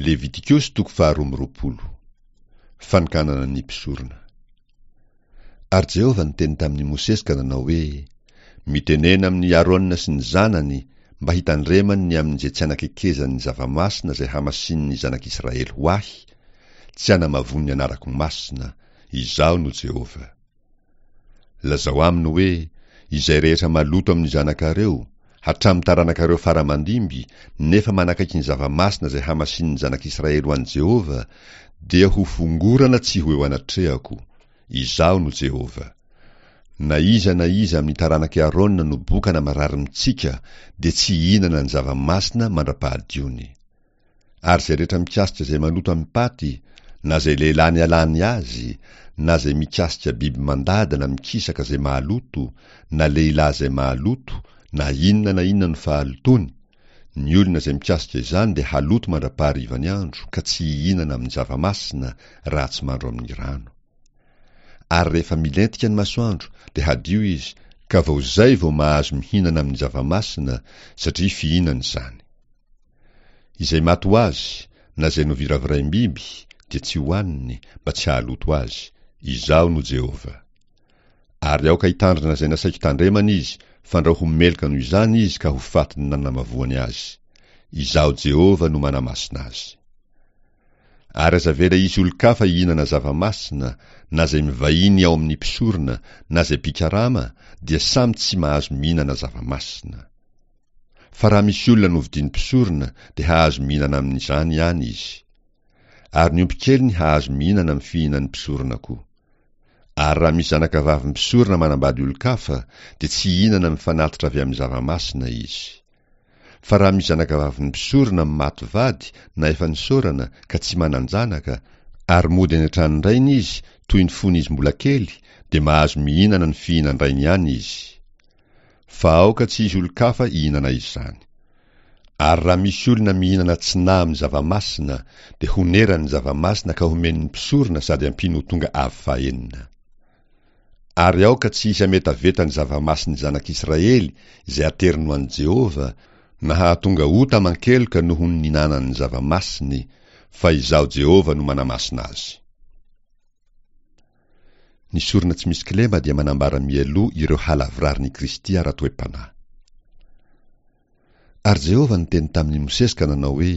Levitikosy toko faharoa amby roapolo. Fanokanana ny mpisorona. Ary Jehovah niteny tamin'i Mosesy ka nanao hoe, Mitenena amin'i Arona sy ny zanany mba hitandremany ny amin'izay tsy anakekezany ny zava-masina izay hamasinin'ny zanak'Israely ho ahy, tsy hanamavoany ny anarako masina, Izaho no Jehovah. Lazao aminy hoe, Izay rehetra maloto amin'ny zanakareo, hatramin'ny taranakareo fara aman-dimby, nefa manakaiky ny zava-masina izay hamasinin'ny zanak'Israely ho an'i Jehovah, dia ho fongorana tsy ho eo anatrehako. Izaho no Jehovah. Na iza na iza amin'ny taranak'i Arona no boka na marary mitsika, dia tsy hihinana ny zava-masina mandra-pahadiony. Ary izay rehetra mikasika izay maloto amim-paty, na izay lehilahy nialany azy, na izay mikasika biby mandady na mikisaka izay mahaloto, na lehilahy izay mahaloto, na inona na inona no fahalotoany, ny olona izay mikasika izany dia haloto mandra-paharivan'ny andro ka tsy hihinana amin'ny zava-masina raha tsy mandro amin'ny rano. Ary rehefa milentika ny masoandro dia hadio izy ka vao izay vao mahazo mihinana amin'ny zava-masina satria fihinana izany. Izay maty ho azy, na izay noviraviraim-biby, dia tsy hohaniny, mba tsy hahaloto azy. Izaho no Jehovah. Ary aoka hitandrina izay nasaiko tandremana izy, fandrao ho meloka noho izany izy ka ho fatin'ny nanamavoany azy. Izaho Jehovah no manamasina azy. Ary aza avela hisy olon-kafa hihinana zava-masina, na izay mivahiny ao amin'ny mpisorona, na izay mpikarama, dia samy tsy mahazo mihinana zava-masina. Fa raha misy olona novidian'ny mpisorona dia hahazo mihinana amin'izany ihany izy. Ary ny ompikeliny hahazo mihinana amin'ny fihinan'ny mpisorona koa. Ary raha misy zanakavavin'ny mpisorona manambady olon-kafa dia tsy hihinana amin'ny fanatitra avy amin'ny zava-masina izy. Fa raha misy zanakavavin'ny mpisorona maty vady na efa nisaorana ka tsy manan-janaka, ary mody any an-tranon-drainy izy toy ny fony izy mbola kely, dia mahazo mihinana ny fihinan-drainy ihany izy. Fa aoka tsy hisy olon-kafa hihinana izany. Ary raha misy olona mihinana tsy nahy amin'ny zava-masina, dia honerany ny zava-masina ka homeny ny mpisorona sady ampiany ho tonga avo fahenina. Ary aoka tsy hisy hametaveta ny zava-masin'ny zanak'Israely izay ateriny ho an'i Jehovah, na hahatonga ota aman-keloka noho ny nihinanany ny zava-masiny, fa Izaho Jehovah no manamasina azy. Ny sorona tsy misy kilema dia manambara mialoha ireo halavirarin'i Kristy ara-toe-panahy. Ary Jehovah niteny tamin'i Mosesy ka nanao hoe,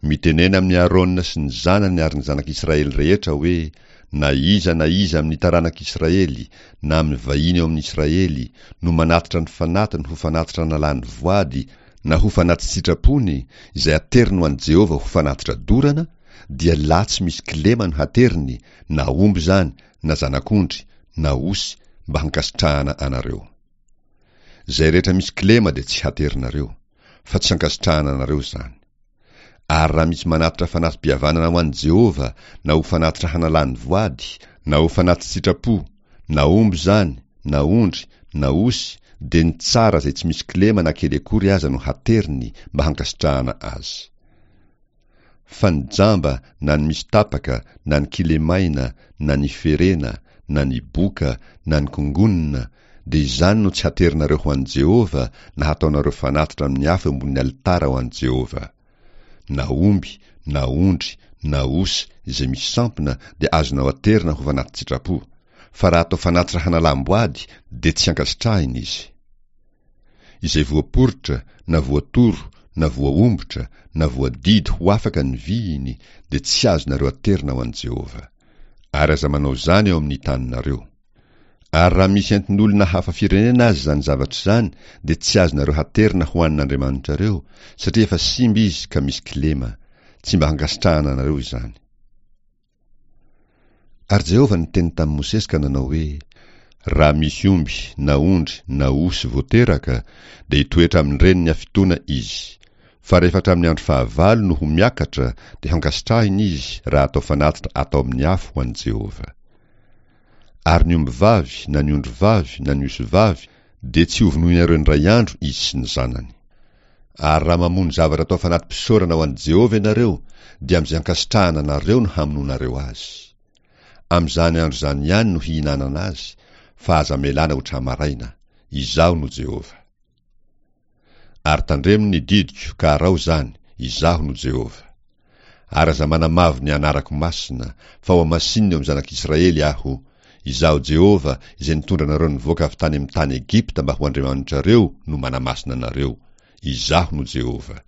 Mitenena amin'i Arona sy ny zanany ary ny zanak'Israely rehetra hoe, Na iza na iza amin'ny taranak'Israely, na amin'ny vahiny ao amin'Israely, no manatitra ny fanatiny ho fanatitra nalany voady na ho fanati-tsitrapony, izay ateriny ho an'i Jehovah ho fanatitra dorana, dia lahy tsy misy kilema no hateriny, na omby izany, na zanak'ondry, na osy, mba hankasitrahana anareo. Izay rehetra misy kilema dia tsy haterinareo, fa tsy hankasitrahana anareo izany. Ary raha misy manatitra fanati-pihavanana ho an'i Jehovah, na ho fanatitra hanalany voady, na ho fanati-tsitrapo, na omby izany, na ondry, na osy, dia ny tsara izay tsy misy kilema na kely akory aza no hateriny mba hankasitrahana azy. Fa ny jamba na ny misy tapaka na ny kilemaina na ny ferena na ny boka na ny kongonina dia izany no tsy haterinareo ho an'i Jehovah na hataonareo fanatitra amin'ny afo eo ambonin'ny alitara ho an'i Jehovah. Na omby na ondry na osy izay misy sampona dia azonao aterina ho fanati-tsitrapo, fa raha atao fanatitra hanalam-boady dia tsy ankasitrahina izy. Izay voaporitra na voatoro na voahombotra na voadidy ho afaka ny vihiny dia tsy azonareo aterina ho an'i Jehovah. Ary aza manao izany eo amin'ny taninareo. Ary raha misy entin'olona hafa firenena aza izany zavatra izany dia tsy azonareo haterina ho an'Andriamanitrareo, satria efa simba izy ka misy kilema. Tsy mba hankasitrahana anareo izany. Ary Jehovah niteny tamin'i Mosesy ka nanao hoe, Raha misy omby na ondry na osy vao teraka, dia hitoetra amin-dreniny hafitoana izy. Fa rehefa hatramin'ny andro fahavalo no ho miakatra, dia hankasitrahina izy raha atao fanatitra atao amin'ny afo ho an'i Jehovah. Ary ny ombivavy na ny ondrivavy na ny osivavy dia tsy hovonoinareo indray andro izy sy ny zanany. Ary raha mamono zavatra atao fanati-pisaorana ho an'i Jehovah ianareo, dia amin'izay ankasitrahana anareo no hamonoanareo azy. Amin'izany andro izany ihany no hihinanana azy, fa aza amelana ho tra-maraina. Izaho no Jehovah. Ary tandremo ny didiko ka araho izany, Izaho no Jehovah. Ary aza manamavo ny anarako masina, fa hohamasinina eo amin'ny zanak'Israely Aho. Izaho Jehovah, izay nitondra anareo nivoaka avy tany amin'ny tany Egypta mba ho Andriamanitrareo, no manamasina anareo. Izaho no Jehovah.